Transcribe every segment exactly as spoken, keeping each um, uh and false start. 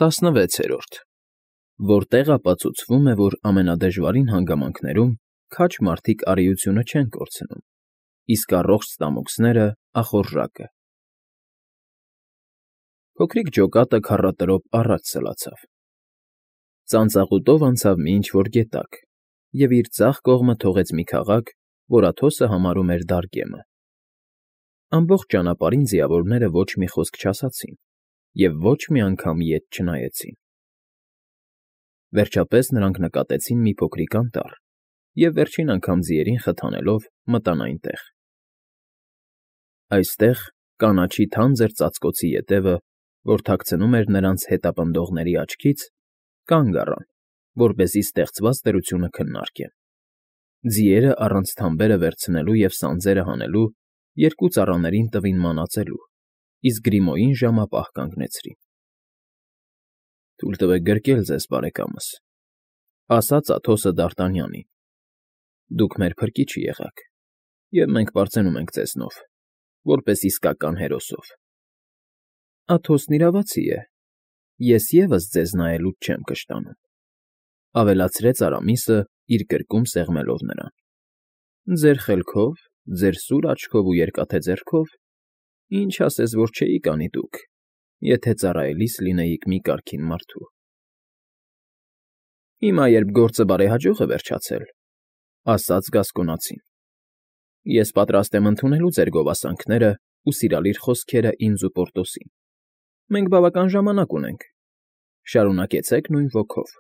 ՏԱՍՆՎԵՑԵՐՈՐԴ Որտեղ ապացուցվում է, որ ամենադժվարին հանգամանքներում քաջ մարդիկ արիությունը չեն կորցնում, իսկ առողջ ստամոքսները՝ ախորժակը։ Փոքրիկ ջոկատը քառատրոպ առաջ սլացավ, ծանծաղուտով անցավ մի ինչ֊որ գետակ և իր ձախ կողմը թողեց մի քաղաք, որ Աթոսը համարում էր Դարգեմը։ Ամբողջ ճանապարհին ձիավորները ոչ մի խոսք չասացին և ոչ մի անգամ ետ չնայեցին։ Վերջապես նրանք նկատեցին մի փոքրիկ անտառ և վերջին անգամ ձիերին խթանելով մտան այնտեղ։ Այստեղ կանաչի թանձր ծածկոցի ետևը, որ թաքցնում էր նրանց հետապնդողների աչքից, կանգ առան, որպեսզի ստեղծված դրությունը քննարկեն։ Ձիերը առանց թամբերը վերցնելու և սանձերը հանելու երկու ծառաներին տվին մանածելու, իսկ Գրիմոյին ժամապահ կանգնեցրին։ ֊ Թույլ տվեք գրկել ձեզ, բարեկամս,֊ ասաց Աթոսը Դարտանյանին։֊ Դուք մեր փրկիչը եղաք, և մենք պարծենում ենք ձեզնով, որպես իսկական հերոսով։ ֊ Աթոսն իրավացի է, ես ևս ձեզ նայելուց չեմ կշտանում,֊ ավելացրեց Արամիսը, իր կրկում սեղմելով նրան։֊ Ձեր խելքով, ձեր սուր աչքով ու երկաթե ձեռքով ինչ ասես որ չէիք անի դուք, եթե ծառայելիս լինեիք մի կարգին մարդու։ ֊ Հիմա, երբ գործը բարեհաջող է վերջացել,֊ ասաց գասկոնացին,֊ ես պատրաստ եմ ընդունելու ձեր գովասանքներն ու սիրալիր խոսքերն ինձ ու Պորտոսին. մենք բավական ժամանակ ունենք, շարունակեցեք նույն ոգով։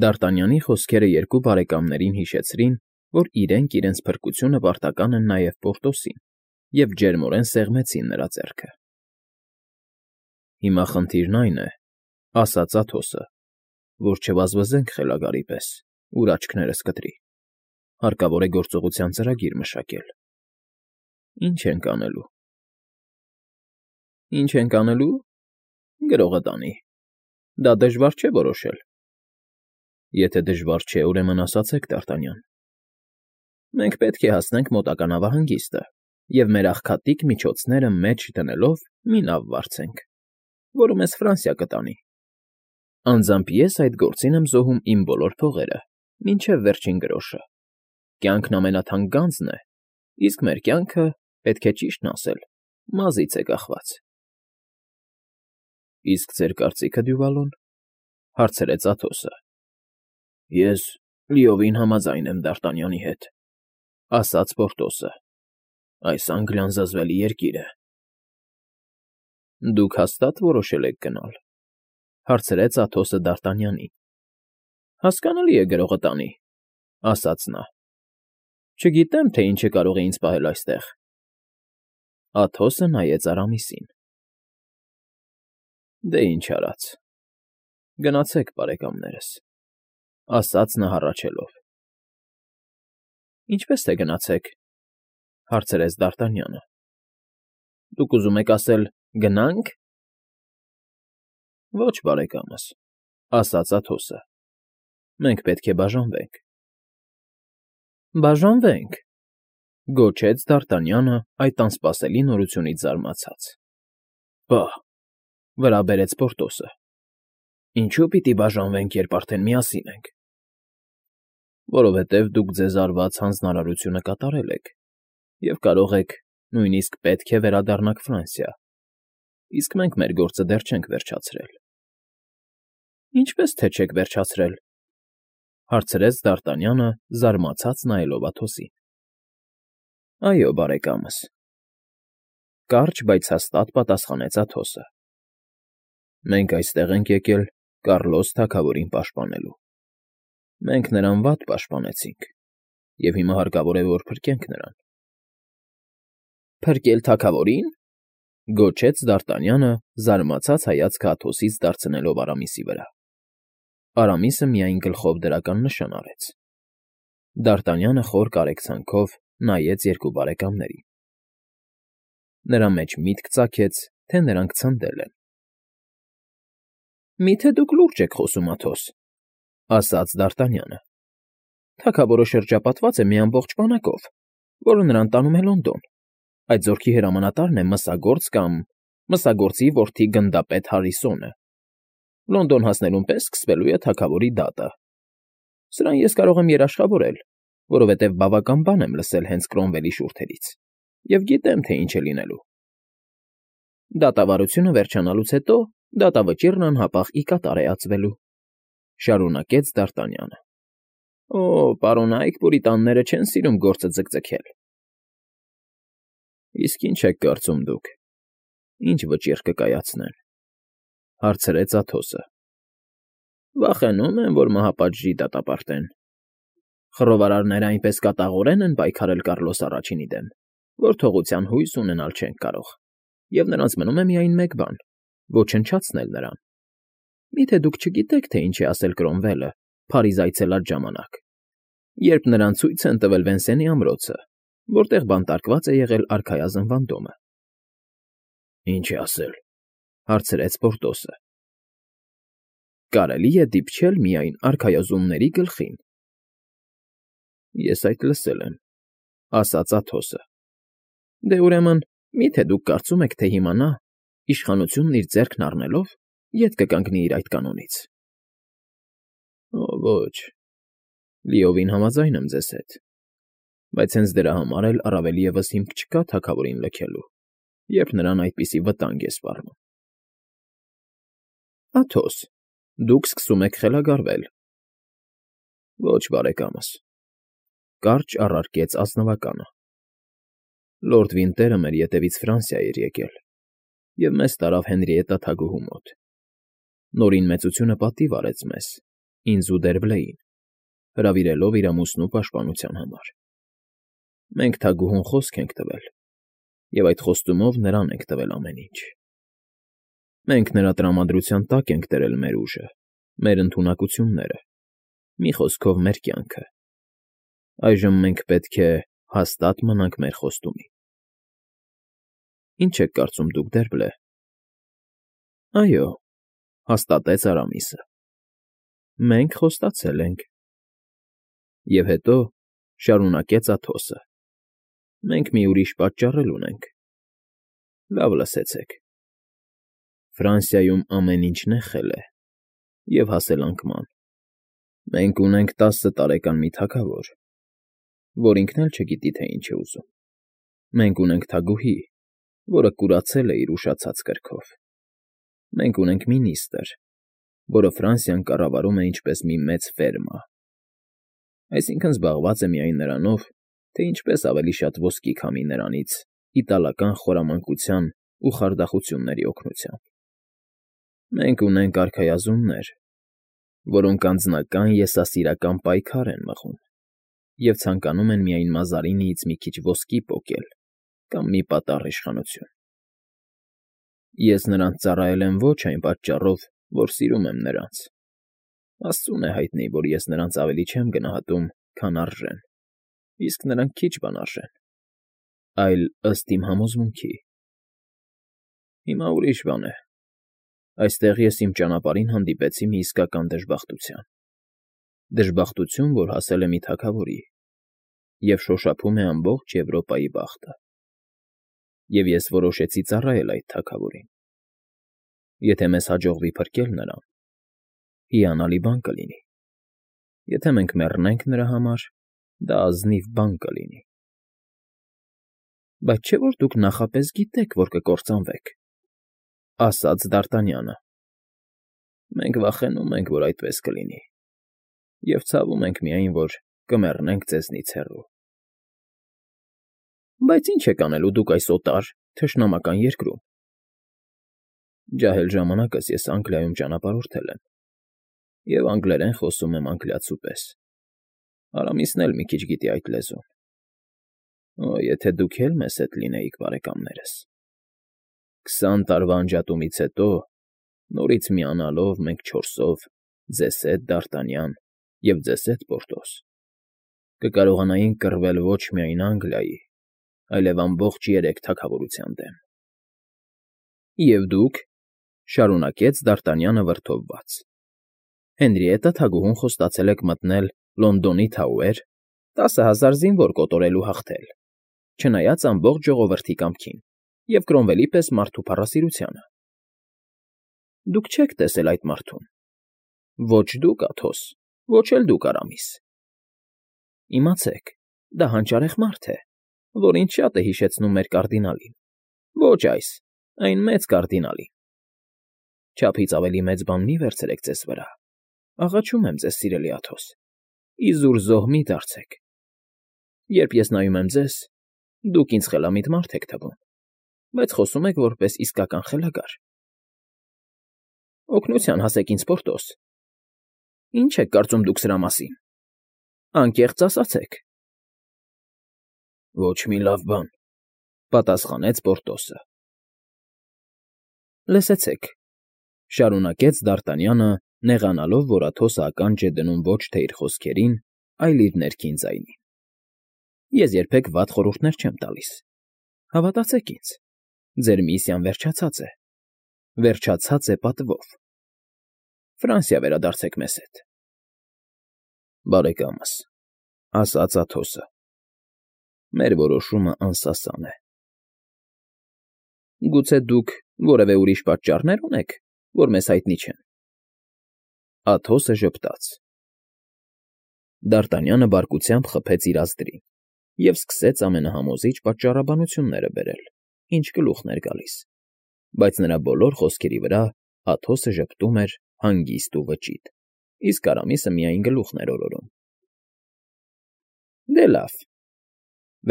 Դարտանյանի խոսքերը երկու բարեկամներին հիշեցրին, որ իրենք իրենց փրկությունը պարտական են նաև Պորտոսին, և ջերմորեն սեղմեցին նրա ձեռքը։ ֊ Հիմա խնդիրն այն է,֊ ասաց Աթոսը,֊ որ չվազվզենք խելագարի պես, ուր աչքներս կտրի. հարկավոր է գործողության ծրագիր մշակել։ ֊ Ի՞նչ ենք անելու։ ֊ Ի՞նչ ենք անելու… գրողը տանի, դա դժվար չէ որոշել։ ֊ Եթե դժվար չէ, ուրեմն ասացեք, Դարտանյան։ ֊ Մենք պետք է հասնենք մոտակա նավահանգիստը և մեր աղքատիկ միջոցները մեջ դնելով մի նավ վարձենք, որը մեզ Ֆրանսիա կտանի։ Անձամբ ես այդ գործին եմ զոհում իմ բոլոր փողերը, մինչև վերջին գրոշը. կյանքն ամենաթանկ գանձն է, իսկ մեր կյանքը, պետք է ճիշտն ասել, մազից է կախված։ ֊ Իսկ ձեր կարծիքը, Դյուվալոն,֊ հարցրեց Աթոսը։ ֊ Ես լիովին համաձայն եմ Դարտանյանի հետ,֊ ասաց Պորտոսը,֊ այս Անգլիան զզվելի երկիր է։ ֊ Դուք հաստա՞տ որոշել եք գնալ,֊ հարցրեց Աթոսը Դարտանյանին։ ֊ Հասկանալի է, գրողը տանի,֊ ասաց նա,֊ չգիտեմ, թե ինչը կարող է ինձ պահել այստեղ։ Աթոսը նայեց Արամիսին։ ֊ Դե ինչ արած, գնացեք, բարեկամներս,֊ ասաց նա հառաչելով։ ֊ Ինչպե՞ս թե գնացեք,֊ հարցրեց Դարտանյանը։ ֊ Դուք ուզում եք ասել՝ գնա՞նք։ ֊ Ոչ, բարեկամս,֊ ասաց Աթոսը,֊ մենք պետք է բաժանվենք։ ֊ Բաժանվե՞նք,֊ գոչեց Դարտանյանը այդ անսպասելի նորությունից զարմացած։ ֊ Պահ,֊ վրա բերեց Պորտոսը,֊ ինչո՞ւ պիտի բաժանվենք, երբ արդեն միասին ենք։ ֊ Որովհետև դուք ձեզ արված հանձնարարությունը կատարել եք և կարող եք, նույնիսկ պետք է վերադառնաք Ֆրանսիա, իսկ մենք մեր գործը դեռ չենք վերջացրել։ ֊ Ինչպե՞ս թե չեք վերջացրել,֊ հարցրեց Դարտանյանը, զարմացած նայելով Աթոսին։ ֊ Այո, բարեկամս,֊ կարճ, բայց հաստատ պատասխանեց Աթոսը,֊ մենք այստեղ ենք եկել Կառլոս թագավորին պաշտպանելու։ Մենք նրան վատ պաշտպանեցինք, և հիմա հարկավոր է, որ փրկենք նրան։ ֊ Փրկել թագավորի՞ն,֊ գոչեց Դարտանյանը, զարմացած հայացքը Աթոսից դարձնելով Արամիսի վրա։ Արամիսը միայն գլխով դրական նշան արեց։ Դարտանյանը խոր կարեկցանքով նայեց երկու բարեկամներին։ Նրա մեջ միտք ծագեց, թե նրանք ցնդել են։ ֊ Մի՞թե դուք լուրջ եք խոսում, Աթոս,֊ ասաց Դարտանյանը։ ֊ Թագավորը շրջապատված է մի ամբողջ բանակով, որը նրան տանում է Լոնդոն։ Այդ զորքի հրամանատարն է մսագործ կամ… մսագործի որդի գնդապետ Հարիսոնը։ Լոնդոն հասնելուն պես սկսվելու է թագավորի դատը։ Սրան ես կարող եմ երաշխավորել, որովհետև բավական բան եմ լսել հենց Կրոմվելի շուրթերից և գիտեմ, թե ինչ է լինելու։ Դատավարությունը վերջանալուց հետո դատավճիռն անհապաղ ի կատար է ածվելու,֊ շարունակեց Դ'Արտանյանը։ Օ, պարոնայք պուրիտանները չեն սիրում գործը ձգձգել։ Իսկ ի՞նչ եք կարծում դուք, ի՞նչ վճիռ կկայացնեն,֊ հարցրեց Աթոսը։ Վախենում են, որ մահապատժի դատապարտեն։ Խռովարարները այնպես կատաղորեն են պայքարել Կառլոս առաջինի դեմ, որ թողության հույս ունենալ չենք կարող, և նրանց մնում է միայն մեկ բան՝ ոչնչացնել նրան։ Մի՞թե դուք չգիտեք, թե ինչ է ասել Կրոմվելը Փարիզ այցելած ժամանակ, երբ նրան ցույց են տվել Վենսենի ամրոցը, որտեղ բանտարկված է եղել արքայազնվան դոմը։ ֊ Ինչ է ասել,֊ հարցրեց Պորտոսը։ Կարելի է դիպչել միայն արքայազունների գլխին։ ֊ Ես այդ լսել եմ,֊ ասաց Աթոսը։ Դե, ուրեմն, մի՞թե դուք կարծում եք, թե հիմա նա, իշխանությունն իր ձեռքն առնելով, ետ կկանգնի իր այդ կանոնից։ ֊ Օ, ոչ, լիովին համաձայն եմ ձեզ հետ, բայց հենց դրա համար էլ առավել ևս հիմք չկա թագավորին լքելու, երբ նրան այդպիսի վտանգ է սպառնում։ ֊ Աթոս, դուք սկսում եք խելագարվել։ ֊ Ոչ, բարեկամս,֊ կարճ առարկեց ազնվականը։ Լորդ Վինտերը մեր ետևից Ֆրանսիա էր եկել և մեզ տարավ Հենրիետտա թագուհու մոտ։ Նորին մեծությունը պատիվ արեց մեզ, ինձ ու Դերբլեին, հրավիրելով իր ամուսնու պաշտպանության համար։ Մենք թագուհուն խոսք ենք տվել, և այդ խոստումով նրան ենք տվել ամեն ինչ։ Մենք նրա տրամադրության տակ ենք դրել մեր ուժը, մեր ընդունակությունները, մի խոսքով, մեր կյանքը։ Այժմ մենք պետք է հաստատ մնանք մեր խոստումին։ Ի՞նչ եք կարծում դուք, Դերբլե։ ֊ Այո,֊ հաստատեց Արամիսը։ Մենք խոստացել ենք։ Եվ հետո շարունակեց Աթոսը. Մենք մի ուրիշ պատճառ էլ ունենք։ Լավ լսեցեք. Ֆրանսիայում ամեն ինչ նեխել է և հասել անկման։ Մենք ունենք տասը տարեկան մի թագավոր, որ ինքն էլ չգիտի, թե ինչ է ուզում։ Մենք ունենք թագուհի, որը կուրացել է իր ուշացած կրքով։ Մենք ունենք մինիստր, որը Ֆրանսիան կառավարում է ինչպես մի մեծ ֆերմա, այսինքն՝ զբաղված է միայն նրանով, թե ինչպես ավելի շատ ոսկի քամի նրանից իտալական խորամանկության ու խարդախությունների օգնությամբ։ Մենք ունենք արքայազուններ, որոնք անձնական եսասիրական պայքար են մղում և ցանկանում են միայն Մազարինիից մի քիչ ոսկի պոկել կամ մի պատառ իշխանություն։ Ես նրանց ծառայել եմ ոչ այն պատճառով, որ սիրում եմ նրանց։ Աստծուն է հայտնի, որ ես նրանց ավելի չեմ գնահատում, քան արժեն, իսկ նրանք քիչ բան արժեն, այլ ըստ իմ համոզմունքի։ Հիմա ուրիշ բան է. այստեղ ես իմ ճանապարհին հանդիպեցի մի իսկական դժբախտության, դժբախտություն, որ հասել է մի թագավորի և շոշափում է ամբողջ Եվրոպայի բախտը։ Եվ ես որոշեցի ծառայել այդ թագավորին։ Եթե մեզ հաջողվի փրկել նրան, հիանալի բան կլինի։ Եթե մենք մեռնենք նրա համար, դա ազնիվ բան կլինի։ ֊ Բայց չէ՞ որ դուք նախապես գիտեք, որ կկործանվեք,֊ ասաց Դ'Արտանյանը։ ֊ Մենք վախենում ենք, որ այդպես կլինի, և ցավում ենք միայն, որ կմեռնենք ձեզնից հեռու։ ֊ Բայց ի՞նչ եք անելու դուք այս օտար, թշնամական երկրում։ ֊ Ջահել ժամանակս ես Անգլիայում ճանապարհորդել եմ և անգլերեն խոսում եմ անգլիացու պես, Արամիսն էլ մի քիչ գիտի այդ լեզուն։ Օ, եթե դուք էլ մեզ հետ լինեիք, բարեկամներս… Քսան տարվա անջատումից հետո, նորից միանալով մենք չորսով, ձեզ հետ, Դ'Արտանյան, և ձեզ հետ, Պորտոս, կկարողանայինք կռվել ոչ միայն Անգլիայի, այլև ամբողջ երեք թագավորության դեմ։ ֊ Եվ դուք,֊ շարունակեց Դ'Արտանյանը վրդովված,֊ Հենրիետտա թագուհուն խոստացել եք մտնել Լոնդոնի Թաուեր, տասը հազար զինվոր կոտորել ու հաղթել, չնայած ամբողջ ժողովրդի կամքին և Կրոմվելի պես մարդու փառասիրությանը։ Դուք չեք տեսել այդ մարդուն, ոչ դուք, Աթոս, ոչ էլ դուք, Արամիս. իմացեք, դա հանճարեղ մարդ է, որ ինձ շատ է հիշեցնում մեր կարդինալին, ոչ այս, այն մեծ կարդինալին. չափից ավելի մեծ բան մի վերցրեք ձեզ վրա, աղաչում եմ ձեզ, սիրելի Աթոս, իզուր զոհ մի դարձեք, երբ ես նայում եմ ձեզ, դուք ինձ խելամիտ մարդ եք թվում, բայց խոսում եք որպես իսկական խելագար. օգնության հասեք ինձ, Պորտոս, ինչ եք կարծում դուք սրա մասին, անկեղծ ասացեք։ Ոչ մի լավ բան, պատասխանեց Պորտոսը։ Լսեցեք, շարունակեց Դ'Արտանյանը, նեղանալով, որ Աթոսը ականջ է դնում ոչ թե իր խոսքերին, այլ իր ներքին ձայնին. ես երբեք վատ խորհուրդներ չեմ տալիս, հավատացեք ինձ, ձեր միսիան վերջացած է, վերջացած է պատվով, Ֆրանսիա վերադարձեք մեզ հետ։ Բարեկամս, ասաց Աթոսը, մեր որոշումը անսասան է։ Գուցե դուք որևէ ուրիշ պատճառներ ունեք, որ մեզ հայտնի չեն։ Աթոսը ժպտաց։ Դ'Արտանյանը բարկությամբ խփեց իր ազդրին և սկսեց ամենահամոզիչ պատճառաբանությունները բերել, ինչ գլուխն էր գալիս, բայց նրա բոլոր խոսքերի վրա Աթոսը ժպտում էր հանգիստ ու վճիտ, իսկ Արամիսը միայն գլուխն էր օրորում։ Դե լավ,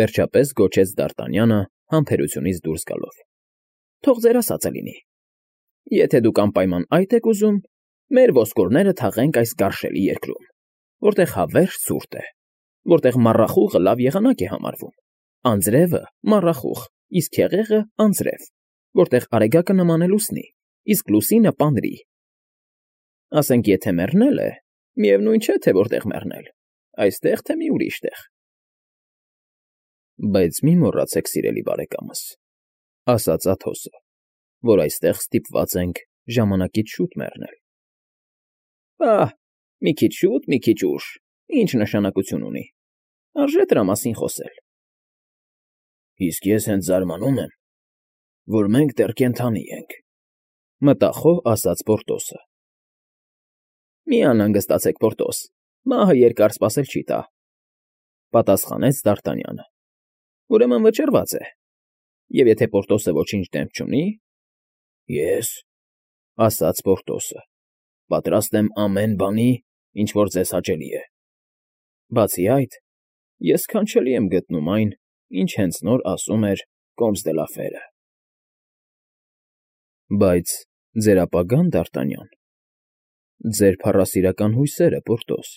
վերջապես գոչեց Դ'Արտանյանը համբերությունից դուրս գալով, թող ձեր ասածը լինի, եթե դուք անպայման այդ եք ուզում, մեր ոսկորները թաղենք այս գարշելի երկրում, որտեղ հավերժ ցուրտ է, որտեղ մառախուղը լավ եղանակ է համարվում, անձրևը մառախուղ, իսկ հեղեղը անձրև, որտեղ արեգակը նման է լուսնի, իսկ լուսինը պանրի։ Ասենք, եթե մեռնել է, միևնույն չէ, թե որտեղ մեռնել, այստեղ, թե մի ուրիշ տեղ։ Բայց մի մոռացեք, սիրելի բարեկամս, ասաց Աթոսը, որ այստեղ ստիպված ենք ժամանակից շուտ մեռնել։ Ահ, մի քիչ շուտ, մի քիչ ուշ, ինչ նշանակություն ունի, արժե դրա մասին խոսել։ Իսկ ես հենց զարմանում եմ, որ մենք դեռ կենդանի ենք, մտախոհ ասաց Պորտոսը։ Մի անհանգստացեք, Պորտոս, մահը երկար սպասել չի տա, պատասխանեց Դ'Արտանյանը։ Ուրեմն վճռված է, և եթե Պորտոսը ոչինչ դեմք չունի, ես, ասաց Պորտոսը, պատրաստ եմ ամեն բանի, ինչ որ ձեզ հաճելի է։ Բացի այդ, ես սքանչելի եմ գտնում այն, ինչ հենց նոր ասում էր կոմս դե լա Ֆերը։ Բայց ձեր ապագա՞ն, Դ'Արտանյան, ձեր փառասիրական հույսերը, Պորտոս։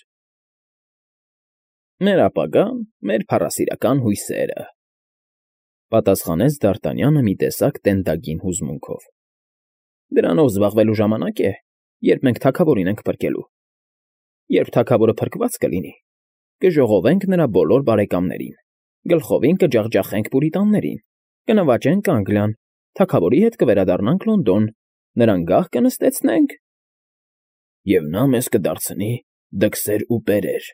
Մեր ապագան, մեր փառասիրական հույսերը, պատասխանեց Դ'Արտանյանը մի տեսակ տենդագին հուզմունքով։ Դրանով զբաղվելու ժամանակ է, երբ մենք թագավորին ենք փրկելու։ Երբ թագավորը փրկված կլինի, կժողովենք նրա բոլոր բարեկամներին, գլխովին կջախջախենք պուրիտաններին, կնվաճենք Անգլիան, թագավորի հետ կվերադառնանք Լոնդոն, նրան գահ կնստեցնենք, և նա մեզ կդարձնի դքսեր ու պերեր,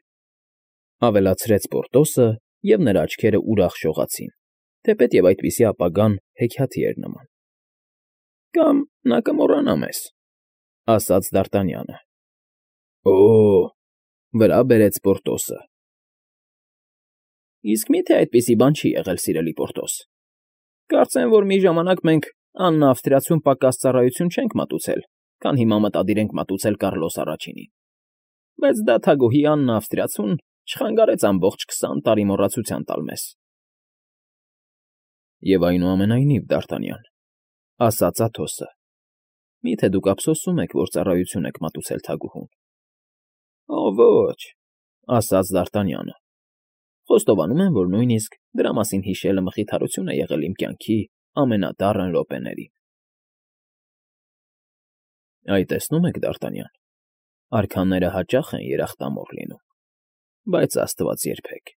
ավելացրեց Պորտոսը, և նրա աչքերը ուրախ շողացին, թեպետև այդպիսի ապագան հեքիաթի էր նման։ Կամ նա կմոռանա մեզ, ասաց Դ'Արտանյանը։ Օ՜, վրա բերեց Պորտոսը։ Իսկ մի՞թե այդպիսի բան չի եղել, սիրելի Պորտոս։ Կարծեմ, որ մի ժամանակ մենք Աննա Ավստրիացուն պակաս ծառայություն չենք մատուցել, քան հիմա մտադիր ենք մատուցել Կառլոս առաջինին։ Բայց դա թագուհի Աննա Ավստրիացուն չխանգարեց ամբողջ քսան տարի մոռացության տալ մեզ։ Եվ այնուամենայնիվ, Դ'Արտանյան, ասաց Աթոսը, մի՞թե դուք ափսոսում եք, որ ծառայություն եք մատուցել թագուհուն։ Օ, ոչ, ասաց Դ'Արտանյանը, խոստովանում եմ, որ նույնիսկ դրա մասին հիշելը մխիթարություն է եղել իմ կյանքի ամենադառն րոպեներին։ Այ տեսնում եք, Դ'Արտանյան, արքաները հաճախ են երախտամոռ լինում, բայց Աստված երբեք։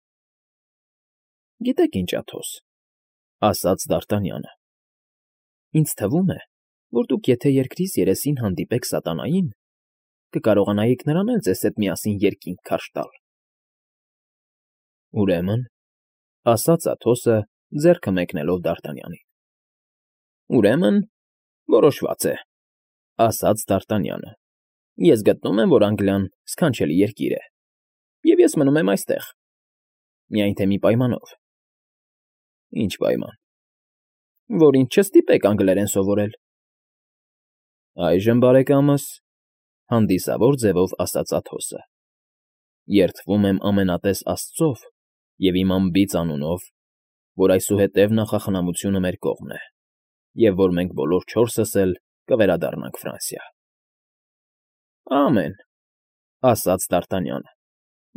Գիտեք ինչ, Աթոս, ասաց Դ'Արտանյանը, ինձ թվում է, որ դուք եթե երկրից երեսին հանդիպեք սատանային, կկարողանայիք նրան էլ ձեզ հետ միասին երկինք քարշ տալ։ Ուրեմն, ասաց Աթոսը, ձեռքը մեկնելով Դ'Արտանյանին։ Ուրեմն, որոշված է, ասաց Դ'Արտանյանը։ Ես գտնում եմ, որ Անգլիան սքանչելի երկիր է, և ես մնում եմ այստեղ, միայն թե մի պայմանով։ Ինչ պայման։ Որ ինձ չստիպեք անգլերեն սովորել։ Այժմ, բարեկամս, հանդիսավոր ձևով ասաց Աթոսը, երդվում եմ ամենատես Աստծով և իմ անբիծ անունով, որ այսուհետև նախախնամությունը մեր կողմն է, և որ մենք բոլոր չորսս էլ կվերադառնանք Ֆրանսիա։ Ամեն, ասաց Դ'Արտանյանը,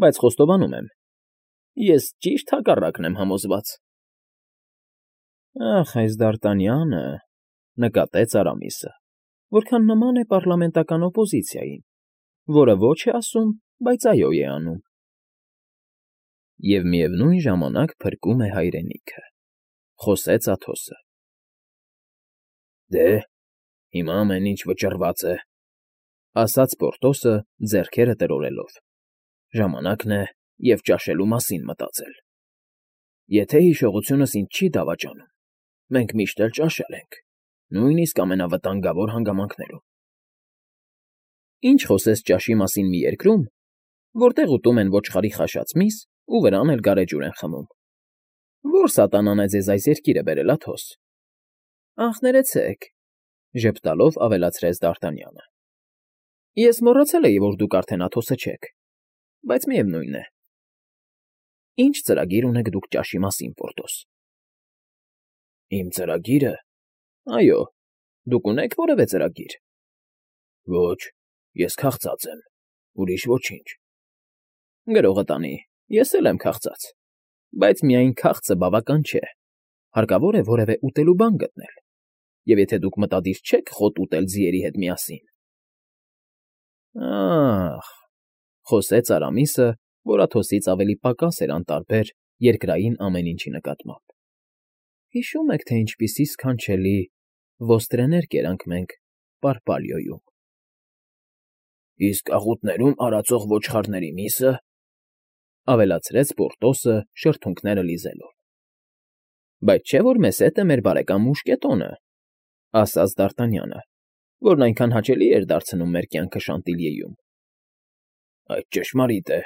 բայց խոստովանում եմ, ես ճիշտ հակառակն եմ համոզված։ Ախ, այս Դ'Արտանյանը, նկատեց Արամիսը, որքան նման է պառլամենտական օպոզիցիային, որը ոչ է ասում, բայց այո է անում։ Եվ միևնույն ժամանակ փրկում է հայրենիքը, խոսեց Աթոսը։ Դե, հիմա ամեն ինչ վճռված է, ասաց Պորտոսը ձեռքերը տրորելով. ժամանակն է և ճաշելու մասին մտածել։ Եթե հիշողությունս ինձ չի դավաճանում, մենք միշտ էլ ճաշել ենք, նույնիսկ ամենավտանգավոր հանգամանքներում։ Ինչ խոսես ճաշի մասին մի երկրում, որտեղ ուտում են ոչխարի խաշած միս ու վրան էլ գարեջուր են խմում։ Ո՞ր սատանան է ձեզ այս երկիրը բերել, Աթոս։ Ախ, ներեցեք, ժպտալով ավելացրեց Դ'Արտանյանը։ Ես մոռացել էի, որ դուք արդեն Աթոսը չեք, բայց միևնույն է։ Ինչ ծրագիր ունեք դուք ճաշի մասին, Պորտոս։ Իմ ծրագիրը։ Այո, դուք ունեք որևէ ծրագիր։ Ոչ, ես քաղցած եմ, ուրիշ ոչինչ։ Գրողը տանի, ես էլ եմ քաղցած, բայց միայն քաղցը բավական չէ, հարկավոր է որևէ ուտելու բան գտնել, և եթե դուք մտադիր չեք խոտ ուտել ձիերի հետ միասին։ Ա՜խ, խոսեց Արամիսը, որ Աթոսից ավելի պակաս էր անտարբեր երկրային ամեն ինչի նկատմամբ։ Հիշում եք, թե ինչպիսի սքանչելի ոստրեներ կերանք մենք Պարպալիոյում։ Իսկ աղուտներում արածող ոչխարների միսը, ավելացրեց Պորտոսը շրթունքները լիզելով։ Բայց չէ՞ որ մեզ հետ է մեր բարեկամ Մուշկետոնը, ասաց Դ'Արտանյանը, որն այնքան հաճելի էր դարձնում մեր կյանքը Շանտիլիեում։ Այդ ճշմարիտ է,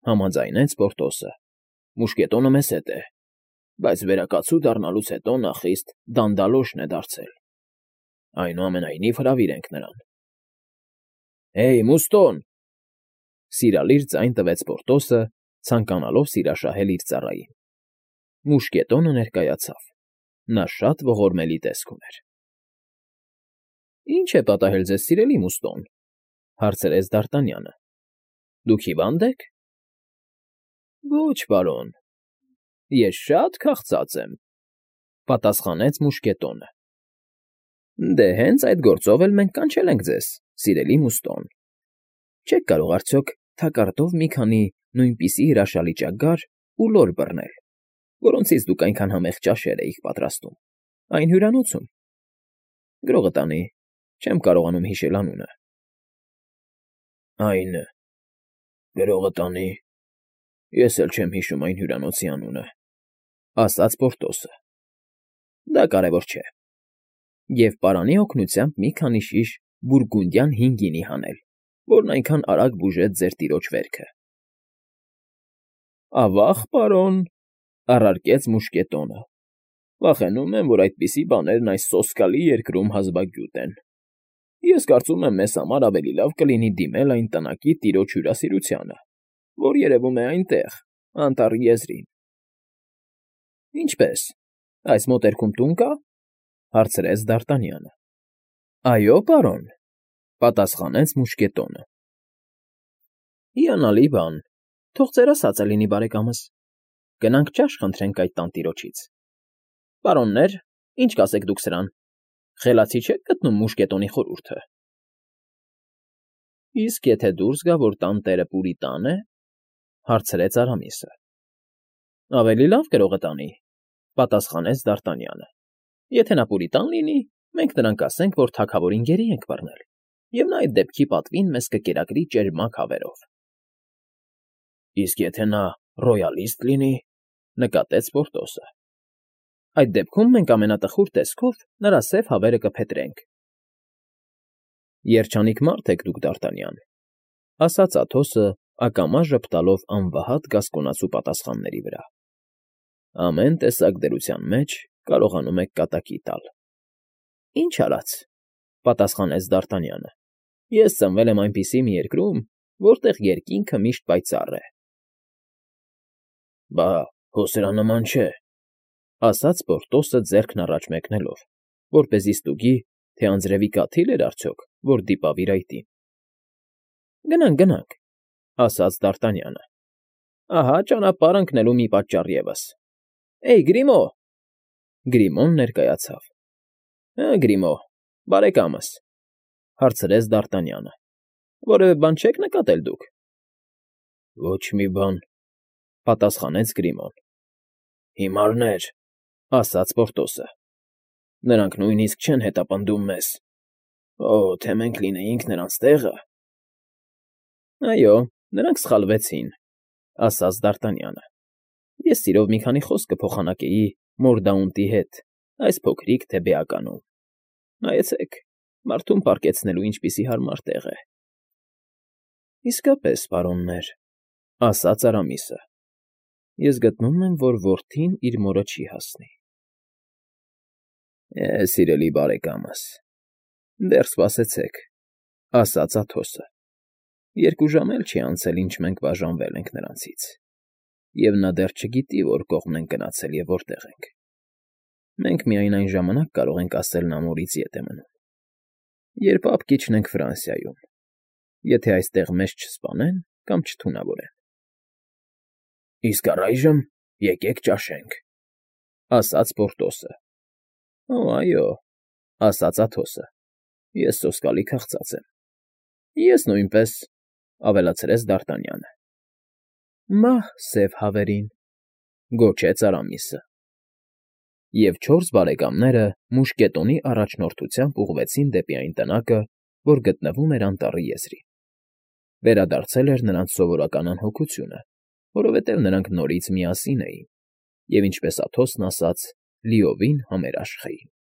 համաձայնեց Պորտոսը։ Մուշկետոնը մեզ հետ է, բայց վերակացու դառնալուց հետո նա խիստ դանդալոշն է դարձել։ Այնուամենայնիվ հրավիրենք նրան։ Հեյ, Մուստոն, սիրալիր ձայն տվեց Պորտոսը, ցանկանալով սիրաշահել իր ծառային։ Մուշկետոնը ներկայացավ։ Նա շատ ողորմելի տեսք ուներ։ Ինչ է պատահել ձեզ, սիրելի Մուստոն, հարցրեց Դ'Արտանյանը։ Դուք հիվա՞նդ եք։ Ոչ, պարոն, ես շատ քաղցած եմ, պատասխանեց Մուշկետոնը։ Դե հենց այդ գործով էլ մենք կանչել ենք ձեզ, սիրելի Մուստոն։ Չեք կարող արդյոք թակարդով մի քանի նույնպիսի հրաշալի ճագար ու լոր բռնել, որոնցից դուք այնքան համեղ ճաշեր էիք պատրաստում, այն հյուրանոցում։ Գրողը տանի, չեմ կարողանում հիշել անունը։ Այն գրողը տանի, ես էլ չեմ հիշում այն հյուրանոցի անունը, ասաց Պորտոսը։ Դա կարևոր չէ։ Եվ պարանի օգնությամբ մի քանի շիշ բուրգունդյան հին գինի հանել, որն այնքան արագ բուժեց ձեր տիրոջ վերքը։ Ավա՜ղ, պարոն, առարկեց Մուշկետոնը, վախենում եմ, որ այդպիսի բաներն այս սոսկալի երկրում հազվագյուտ են։ Ես կարծում եմ, մեզ համար ավելի լավ կլինի դիմել այն տնակի տիրոջ հյուրասիրությանը, որ երևում է այնտեղ, անտառի եզրին։ Ինչպե՞ս, այս մոտերքում տուն կա, հարցրեց Դ'Արտանյանը։ Այո, պարոն, պատասխանեց Մուշկետոնը։ Հիանալի բան, թող ձեր ասածը լինի, բարեկամս։ Գնանք ճաշ խնդրենք այդ տանտիրոջից։ Պարոններ, ինչ կասեք դուք սրան։ Խելացի չեք գտնում Մուշկետոնի խորհուրդը։ Իսկ եթե դուրս գա, որ տանտերը պուրիտան է, հարցրեց Արամիսը։ Ավելի լավ գրողը տանի, պատասխանեց Դ'Արտանյանը։ Եթե նա պուրիտան լինի, մենք նրան կասենք, որ թագավորին գերի ենք բռնել, և նա այդ դեպքի պատվին մեզ կկերակրի ճերմակ հավերով։ Իսկ եթե նա ռոյալիստ լինի, նկատեց Պորտոսը։ Այդ դեպքում մենք ամենատխուր տեսքով նրա սև հավերը կփետրենք։ Երջանիկ մարդ եք դուք, Դարտանյան,֊ ասաց Աթոսը, ակամա ժպտալով անվհատ գասկոնացու պատասխանների վրա։ Ամեն տեսակ դրության մեջ կարողանում եք կատակի տալ։ ֊ Ինչ արած,֊ պատասխանեց Դարտանյանը,֊ ես ծնվել եմ այնպիսի մի երկրում, որտեղ երկինքը միշտ պայծառ է։ ֊ Բա հո սրա նման չէ,֊ ասաց Պորտոսը ձեռքն առաջ մեկնելով, որպեսզի ստուգի, թե անձրևի կաթիլ էր արդյոք, որ դիպավ իր այտին։ ֊ Գնանք, գնանք,֊ ասաց Դարտանյանը,֊ ահա ճանապարհ ընկնելու մի պատճառ ևս։ Էյ, Գրիմո՜… Գրիմոն ներկայացավ։ ֊ Գրիմո, բարեկամս,֊ հարցրեց Դարտանյանը,֊ որևէ բան չեք նկատել դուք։ ֊ Ոչ մի բան,֊ պատասխանեց Գրիմոն։ ֊ Հիմարներ,֊ ասաց Պորտոսը։ Նրանք նույնիսկ չեն հետապնդում մեզ։ Օ՜, թե մենք լինեինք նրանց տեղը… ֊ Այո, նրանք սխալվեցին,֊ ասաց Դարտանյանը։ Ես սիրով մի քանի խոսք կփոխանակեի Մորդաունտի հետ այս փոքրիկ թեբեականում։ Նայեցեք, մարդուն պառկեցնելու ինչպիսի հարմար տեղ է։ ֊ Իսկապես, պարոններ,֊ ասաց Արամիսը,֊ ես գտնում եմ, որ որդին իր մորը չի հասնի։ ֊ Է, սիրելի բարեկամս, դեռ սպասեցեք,֊ ասաց Աթոսը,֊ երկու ժամ էլ չի անցել, ինչ մենք բաժանվել ենք նրանցից, և նա դեռ չգիտի, որ կողմն ենք գնացել և որտեղ ենք։ Մենք միայն այն ժամանակ կարող ենք ասել նա մորից ետ է մնում, երբ ապ կիջնենք Ֆրանսիայում, եթե այստեղ մեզ չսպանեն կամ չթունավորեն։ ֊ Իսկ առայժմ եկեք ճաշենք,֊ ասաց Պորտոսը։ ֊ Օ, այո,֊ ասաց Աթոսը,֊ ես սոսկալի քաղցած եմ։ ֊ Ես նույնպես,֊ ավելացրեց Դարտանյանը։ ֊ Մահ սև հավերին,֊ գոչեց Արամիսը։ Եվ չորս բարեկամները մուշկետոնի առաջնորդությամբ ուղղվեցին դեպի այն տնակը, որ գտնվում էր անտառի եզրին։ Վերադարձել էր նրանց սովորական անհոգությունը, որովհետև նրանք նորից միասին էին և, ինչպես Աթոսն ասաց, լիովին համերաշխ էին։